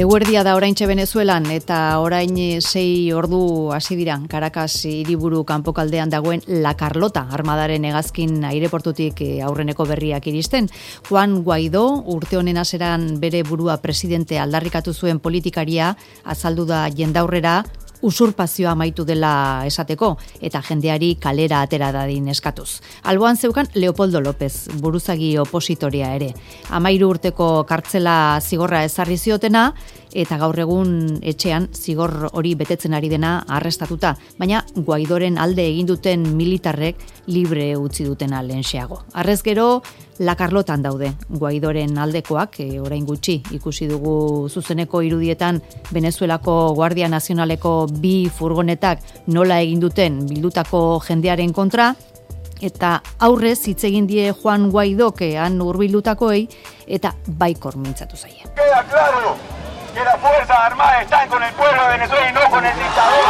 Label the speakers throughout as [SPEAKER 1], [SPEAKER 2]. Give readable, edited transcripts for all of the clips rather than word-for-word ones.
[SPEAKER 1] Eguerdia da oraintxe Venezuelan eta orain 6 ordu hasi dira Caracas hiriburu kanpokaldean dagoen La Carlota armadaren hegazkin aireportutik aurreneko berriak iristen. Juan Guaidó urte honen hasieran bere burua presidente aldarrikatu zuen politikaria azaldu da jendaurrera usurpazioa amaitu dela esateko eta jendeari kalera atera dadin eskatuz. Alboan zeukan Leopoldo López, buruzagi opositoria ere. 13 urteko kartzela zigorra ezarri ziotena eta gaur egun etxean zigor hori betetzen ari dena arrestatuta, baina Guaidoren alde egin duten militarrek libre utzi dutena lehenxeago. Arrez gero, La Carlotan daude Guaidoren aldekoak, orain gutxi ikusi dugu zuzeneko irudietan Venezuelako Guardia Nazionaleko 2 furgonetak nola egin duten bildutako jendearen kontra, eta aurrez hitz egin die Juan Guaidok han hurbildutakoei eta baikor mintzatu zaie.
[SPEAKER 2] Queda claro que las Fuerzas Armadas están con el pueblo de Venezuela y no con el dictador.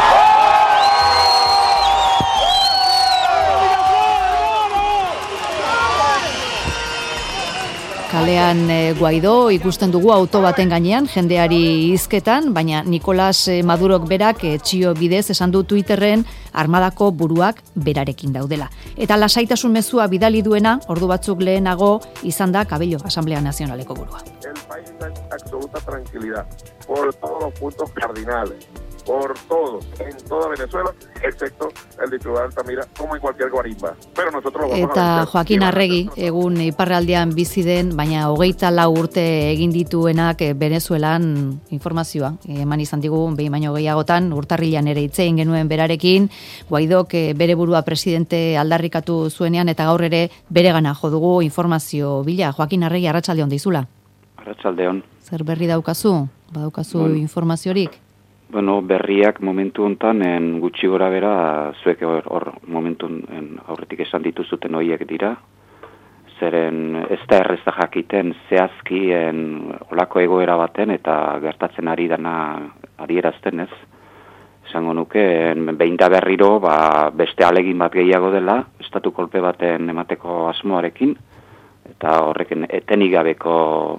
[SPEAKER 1] Kalean Guaidó ikusten dugu auto baten gainean, jendeari hizketan, baina Nicolás Madurok berak txio bidez esan du Twitterren armadako buruak berarekin daudela. Eta lasaitasun mezua bidali duena, ordu batzuk lehenago izan da Cabello, Asamblea Nazionaleko burua.
[SPEAKER 3] El país está en absoluta tranquilidad por todos los puntos cardinales. Por todo, en toda Venezuela, excepto el distrito de Altamira, como en cualquier guarimba. Pero nosotros lo vamos a
[SPEAKER 1] Eta
[SPEAKER 3] vencer.
[SPEAKER 1] Joaquin Arregi, egun iparraldean bizi den, baina 24 urte egin dituenak Venezuelan informazioa. Eman izan digu, behin baino gehiagotan, urtarrilan ere hitz egin genuen berarekin, Guaidok bere burua presidente aldarrikatu zuenean, eta gaur ere beregana jo dugu informazio bila. Joaquin Arregi, arratsaldeon dizula.
[SPEAKER 4] Arratsaldeon.
[SPEAKER 1] Zer berri daukazu? Badaukazu informaziorik?
[SPEAKER 4] Bueno, berriak momentu hontan gutxi gora bera zuek hor momentu aurretik esan dituzuten horiek dira. Zeren ez da erreza jakiten zehazki olako egoera baten eta gertatzen ari dana adierazten ez. Esango nuke, behin da berriro beste alegin bat gehiago dela, estatu kolpe baten emateko asmoarekin, eta horrekin etenik gabeko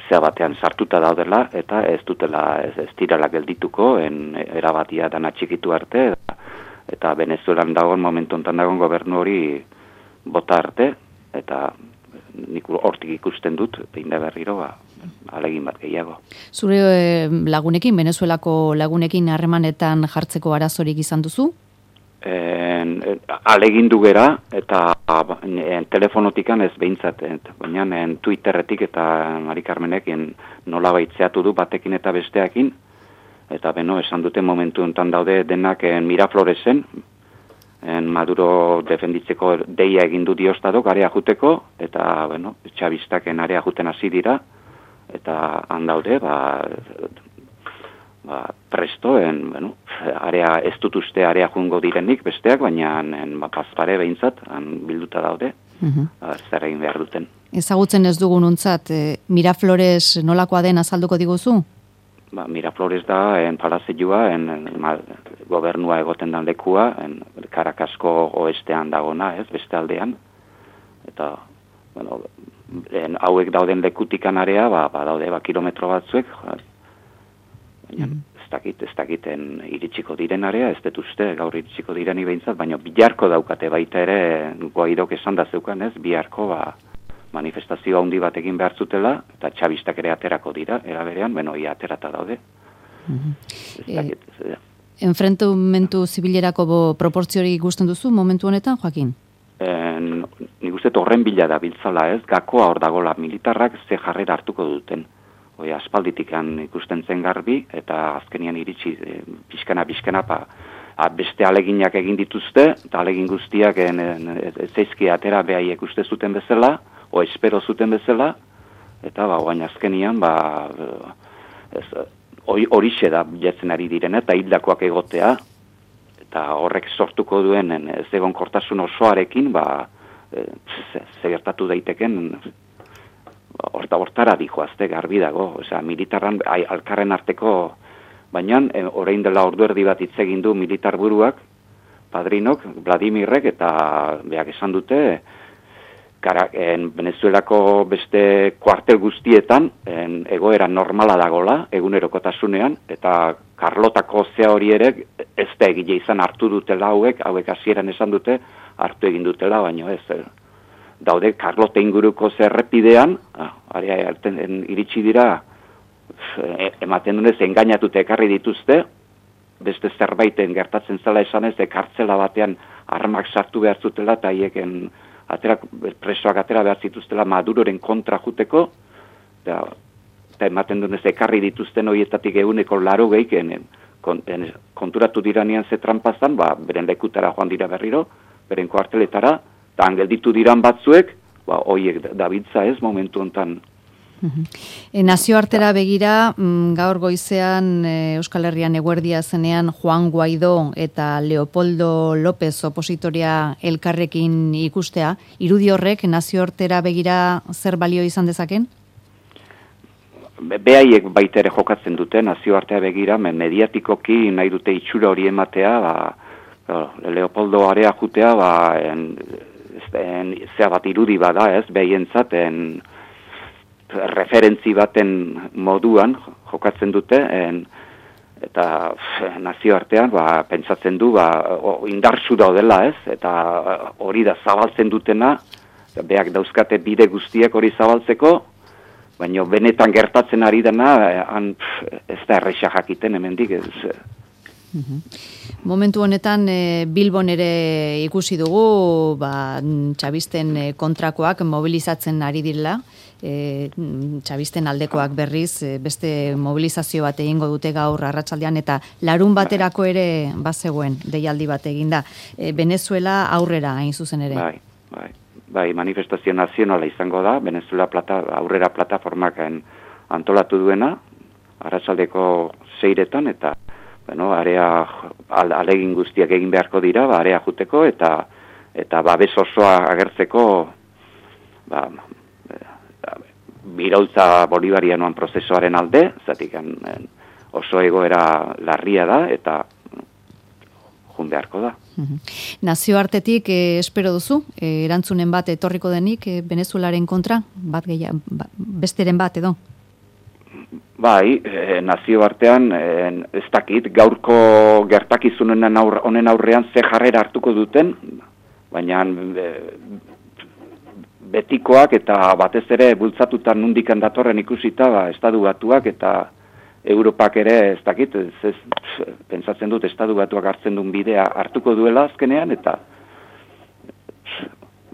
[SPEAKER 4] zea batean sartuta daudela, eta ez direla geldituko, erabatia dana txikitu arte, eta Venezuelan dagoen, momentu enten dagoen gobernu hori bota arte, eta nik hortik ikusten dut, behin da berriro, alegin bat gehiago.
[SPEAKER 1] Zure lagunekin, Venezuelako lagunekin harremanetan jartzeko arazorik izan duzu?
[SPEAKER 4] Alegindu gera, eta telefonotikan ez behintzat, baina Twitterretik eta Mari Carmenek nola baitzeatu du batekin eta besteakin, eta esan dute momentu enten daude denak Mirafloresen, Maduro defenditzeko deia egin du diostadok area juteko, eta txabistaken area juten hasi dira, eta han daude, presto, area ez dut uste area jungo direnik besteak, baina pazpare behintzat, bilduta daude, zer egin behar duten.
[SPEAKER 1] Ezagutzen ez dugun untzat, Miraflores nolakoa den azalduko diguzu?
[SPEAKER 4] Miraflores da, palazioa, gobernua egoten dan lekua, Caracasko oestean dagona, ez, beste aldean, eta, hauek dauden lekutikan area, daude, kilometro batzuek, baina ez dakiten iritsiko diren area, ez dut uste gaur iritsiko direni behintzat, baina biharko daukate baita ere Guaidok esan da zeukan ez, biharko manifestazio handi bat egin behar zutela, eta txabistak ere aterako dira, eraberean, ia aterata daude.
[SPEAKER 1] Enfrentumentu zibilerako proportziorik ikusten duzu momentu honetan, Joaquin?
[SPEAKER 4] Nik uste horren bila da biltzala ez, gakoa hor dagola militarrak ze jarrera hartuko duten. Aspalditikan ikusten zen garbi, eta azkenian iritsi pixkana, beste aleginak egin dituzte, eta alegin guztiak zeizki atera behaiek uste zuten bezala, espero zuten bezala, eta oain azkenian, horixe da bilatzen ari diren, eta hildakoak egotea, eta horrek sortuko duen ez egon kortasun osoarekin, gertatu daiteken, hortara dijoazte garbi dago, militarran alkarren arteko, baina orain dela ordu erdi bat hitz egin du militar buruak, padrinok, Vladimirrek, eta beak esan dute, Venezuelako beste kuartel guztietan egoera normala dagola, egunerokotasunean, eta Karlotako zea hori ere ez da egile izan hartu dutela hauek hasieran esan dute hartu egin dutela, baino ez. Daude Karlota inguruko zerrepidean, iritsi dira, ematen dunez, engainatute ekarri dituzte, beste zerbaiten gertatzen zela esanez, kartzela batean armak sartu behar zutela, eta hieken presoak atera behar zituztela Maduroren kontra juteko, eta ematen dunez ekarri dituzten horietatik 80% konturatu diranean ze trampazan, beren lekutara joan dira berriro, beren kuarteletara, eta angelditu diran batzuek, horiek dabiltza ez momentu hontan.
[SPEAKER 1] Nazioartera begira, gaur goizean Euskal Herrian eguerdia zenean Juan Guaidó eta Leopoldo López opositoria elkarrekin ikustea, irudi horrek nazioartera begira zer balio izan dezaken?
[SPEAKER 4] Behaiek baita ere jokatzen dute nazioartea begira, mediatikoki nahi dute itxura hori ematea, Leopoldo area jutea, zea bat irudi bada ez, behientzat, referentzi baten moduan jokatzen dute, eta nazioartean pentsatzen du indartsu daudela ez, eta hori da zabaltzen dutena, beak dauzkate bide guztiak hori zabaltzeko, baina benetan gertatzen ari dena, ez da erresa jakiten hemendik ez.
[SPEAKER 1] Momentu honetan Bilbon ere ikusi dugu txabisten kontrakoak mobilizatzen ari direla, txabisten aldekoak berriz beste mobilizazio bat egingo dute gaur arratsaldean, eta larun baterako ere bazegoen deialdi bat eginda. Venezuela aurrera hain zuzen ere.
[SPEAKER 4] Bai, manifestazio nazionala izango da, Venezuela aurrera plataformak antolatu duena, arratsaldeko 6etan, eta alegin guztiak egin beharko dira, area juteko, eta babes osoa agertzeko, biraultza bolivarianoan prozesuaren alde, zatik oso egoera larria da, eta jun beharko da.
[SPEAKER 1] Nazioartetik espero duzu, erantzunen bat etorriko denik Venezuelaren kontra, besteren bat edo?
[SPEAKER 4] Bai, nazioartean ez dakit, gaurko gertakizunen honen aurrean ze jarrera hartuko duten, baina betikoak eta batez ere bultzatuta nundikan datorren ikusita, Estatu Batuak eta Europak ere ez dakit, pentsatzen dut Estatu Batuak hartzen duen bidea hartuko duela azkenean, eta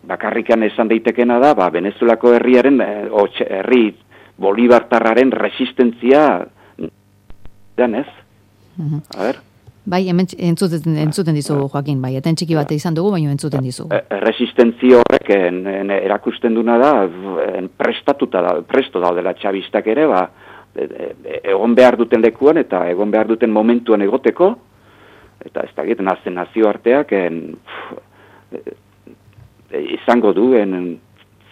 [SPEAKER 4] bakarrikan esan daitekena da, Venezuelako herriaren, herri bolibartarraren resistentzia dan ez? A ber?
[SPEAKER 1] Bai, hemen entzuten dizugu, Joaquin, bai, eten txiki bate izan dugu, baina entzuten dizugu.
[SPEAKER 4] Resistentzia horrek erakusten duna da, presto daudela txabistak ere, egon behar duten lekuan eta egon behar duten momentuan egoteko, eta ez dakit, nazioarteak izango duen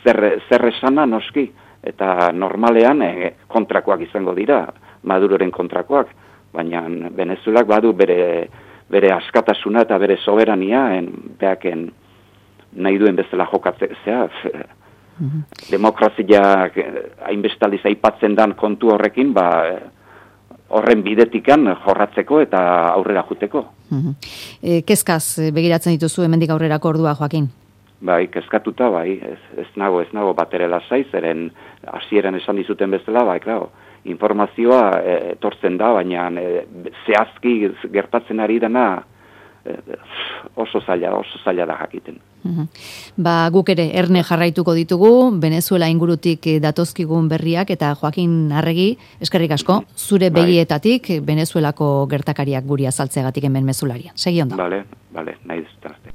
[SPEAKER 4] zer esana noski, eta normalean kontrakoak izango dira, Maduroren kontrakoak, baina Venezuelak badu bere askatasuna eta bere soberania, behaken nahi duen bezala jokatzea, demokrazia hainbestaliz aipatzen dan kontu horrekin, horren bidetikan jorratzeko eta aurrera juteko.
[SPEAKER 1] Kezkaz begiratzen dituzu hemendik aurrerako ordua, Joaquin?
[SPEAKER 4] Bai, kezkatuta, bai, ez nago batere lasai, zeren hasieran esan dizuten bezala, bai, klaro, informazioa etortzen da, baina zehazki gertatzen ari dena oso zaila da jakiten.
[SPEAKER 1] Guk ere erne jarraituko ditugu, Venezuela ingurutik datozkigun berriak, eta Joaquin Arregi, eskerrik asko, zure begietatik Venezuelako gertakariak guri azaltzeagatik hemen mezularia. Segi ondo.
[SPEAKER 4] Bale, nahi dut.